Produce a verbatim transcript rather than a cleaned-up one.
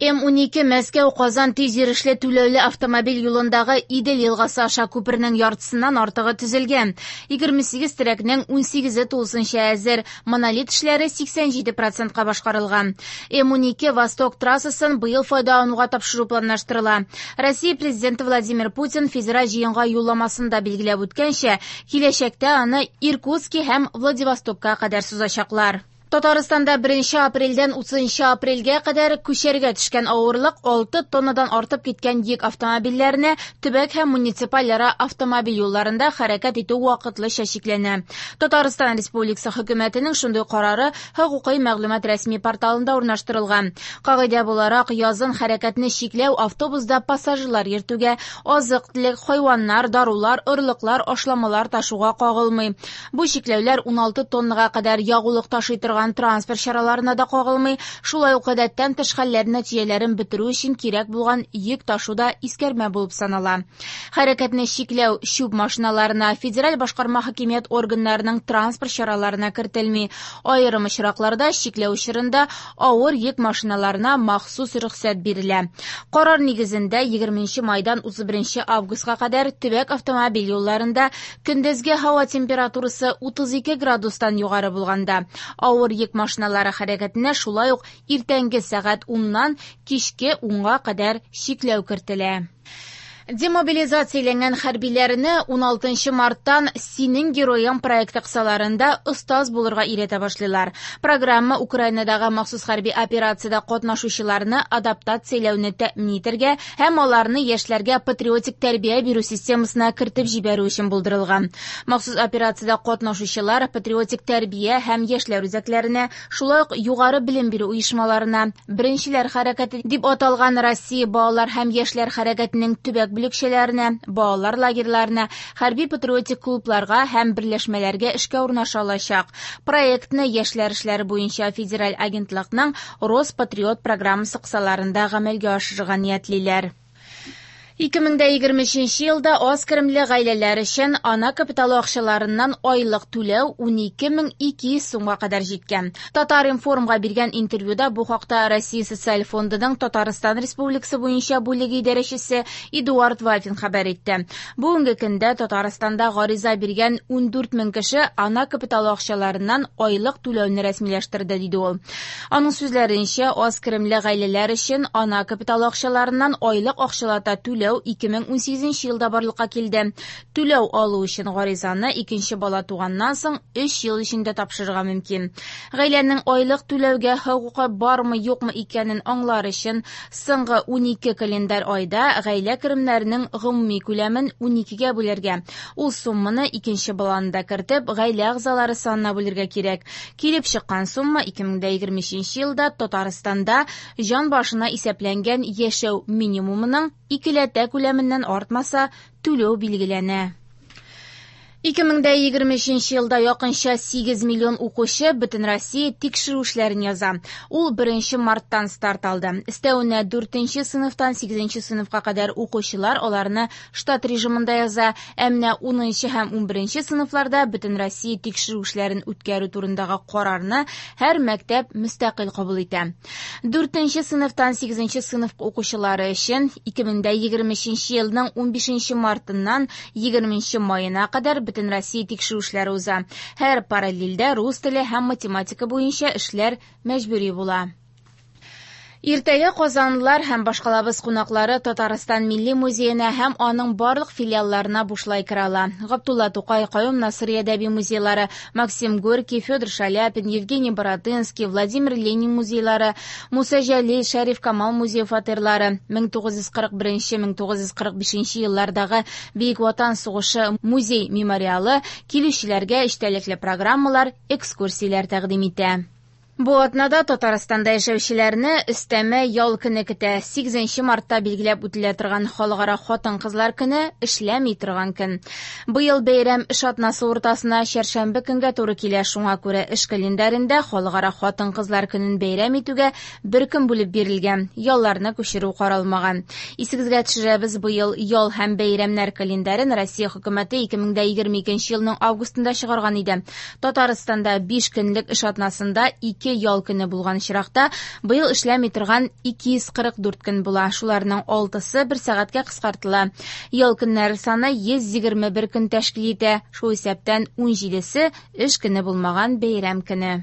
М унике Мәскәү-Казан тиз йөрешле түләүле автомобиль юлындагы Идел елгасы аша күпернең яртысыннан артыгы төзелгән. Егерме сигез терәкнең унсигезе тулысынча әзер. Монолит эшләре сиксән җиде процентка башкарылган. М унике Восток трассасын быел файдалануга тапшыру планлаштырыла. Россия президенты Владимир Путин федераль җыенга юлламасында билгеләп үткәнчә, киләчәктә аны Иркутски һәм Владивостокка кадәр сузачаклар. Татарстанда беренче апрельдән утызынчы апрельгә кадәр күчәргә төшкән авырлык алты тоннадан артып киткән йөк автомобильләренә төбәк һәм муниципальара автомобиль юлларында хәрәкәт итү вакытлыча чикләнә. Татарстан Республикасы хөкүмәтенең шундый карары хокукый мәгълүмат рәсми порталында урнаштырылган. Кагыйдә буларак, язын хәрәкәтне чикләү автобуста пассажирлар йөртүгә, азык-төлек, хайваннар, дарулар, орлыклар, ашламалар ташуга кагылмый. Бу чикләүләр уналты тоннага кадәр ягулык ташый торган транспорт чараларына да кагылмый. Шулай ук гадәттән тыш хәлләр нәтиҗәләрен бетерү өчен кирәк булган йөк ташу да искәрмә булып санала. Хәрәкәтне чикләү чүп машиналарына, федераль башкарма хакимият органнарының транспорт чараларына кертелми. Аерым очракларда чикләү чорында авыр йөк машиналарына махсус рөхсәт бирелә. Карар нигезендә егерменче майдан утыз беренче августка кадәр төбәк автомобиль юлларында көндезге һава температурасы утыз ике градустан югары булганда авыр йөк машиналары хәрәкәтенә шулай ук иртәнге сәгать уннан кичке унга кадәр чикләү кертелә. Демобилизацияләнгән хәрбиләрне уналтынчы марттан Синең героең проекты кысаларында остаз булырга өйрәтә башлыйлар. Программа Украинадагы махсус хәрби операциядә катнашучыларны адаптацияләүне тәэмин итәргә һәм аларны яшьләргә патриотик тәрбия бирү системасына кертеп җибәрү өчен булдырылган. Махсус операциядә катнашучылар патриотик тәрбия һәм яшьләр үзәкләренә, шулай ук югары белем бирү оешмаларына, Беренчеләр хәрәкәте дип аталган Россия балалар һәм яшьләр хәрәкәтенең төбәк бүлекчәләренә, балалар лагерьларына, хәрби патриотик клубларга һәм берләшмәләргә эшкә урнаша алачак. Проектны яшьләр эшләре буенча федераль агентлыкның Роспатриот программасы кысаларында гамәлгә ашырырга ниятлиләр. Ике мең дә егерме өченче елда аз керемле гаиләләр өчен ана капиталы акчаларыннан айлык түләү унике мең ике йөз сумга кадәр җиткән. Татар-информга биргән интервьюда бу хакта Россия Социаль фондының Татарстан Республикасы буенча бүлеге идарәчесе Эдуард Вафин хәбәр итте. Бүгенге көндә Татарстанда гариза биргән ундүрт мең кеше ана капиталы акчаларыннан айлык түләүне рәсмиләштерде, диде ул. Аның сүзләренчә, аз керемле гаиләләр өчен ана капиталы акчаларыннан айлык акчалата түләү ике мең унсигезенче елда барлыкка килде. Түләү алу өчен гаризаны икенче бала туганнан соң өч ел эчендә тапшырырга мөмкин. Гаиләнең айлык түләүгә хокукы бармы, юкмы икәнен аңлар өчен соңгы унике календарь айда гаилә керемнәренең гомуми күләмен уникегә бүләргә. Ул сумманы икенче баланы да кертеп, гаилә әгъзалары санына бүлергә кирәк. Килеп чыккан сумма ике мең дә егерме өченче елда Татарстанда җан башына исәпләнгән яшәү минимумының икеләтә күләменнән артмаса, түләү билгеләнә. Ике мең дә егерме өченче елда якынча сигез миллион укучы бөтен Россия тикшерү эшләрен яза. Ул беренче марттан старт алды. Өстәвенә дүртенче сыйныфтан сигезенче сыйныфка кадәр укучылар аларны штат режимында яза. Ә менә унынчы һәм унберенче сыйныфларда бөтен Россия тикшерү эшләрен үткәрү турындагы карарны һәр мәктәп мөстәкыйль кабул итә. Дүртенче сыйныфтан сигезенче сыйныф укучылары өчен ике мең дә егерме өченче елның унбишенче мартыннан егерменче маена кадәр бөтен Россия тикшерү эшләре уза. Һәр параллельдә рус теле һәм математика буенча эшләр мәҗбүри була. Иртәгә казанлылар һәм башкалабыз кунаклары Татарстан Милли музеена һәм аның барлык филиалларына бушлай керә ала. Габдулла Тукай, Каюм Насыйри әдәби музейлары, Максим Горький, Федор Шаляпин, Евгений Баратынский, Владимир Ленин музейлары, Муса Җәлил, Шәриф Камал музей фатирлары, мең тугыз йөз кырык беренче, мең тугыз йөз кырык бишенче еллардагы Бөек Ватан сугышы музей мемориалы килүчеләргә эчтәлекле программалар, экскурсияләр тәкъдим итә. Бу атнада Татарстанда яшәүчеләрне өстәмә ял көне көтә. Сигезенче мартта билгеләп үтелә торган Халыкара хатын-кызлар көне эшләми торган көн. Быел бәйрәм эш атнасы уртасына чәршәмбе көнгә туры килә. Шуңа күрә эш календарендә Халыкара хатын-кызлар көнен бәйрәм итүгә бер көн бүлеп бирелгән. Ялларны күчерү каралмаган. Исегезгә төшерәбез, быел ял һәм бәйрәмнәр календарен Россия хөкүмәте ике мең дә егерме икенче елның августында чыгарган иде. Татарстанда биш көнлек эш атнасында ике ике ял көне булган очракта, быел эшләми торган ике йөз кырык дүрт көн була. Шуларның алтысы бер сәгатькә кыскартыла. Ял көннәре саны йөз егерме бер көн тәшкил итә. Шул исәптән ун җидесе эш көне булмаган бәйрәм көне.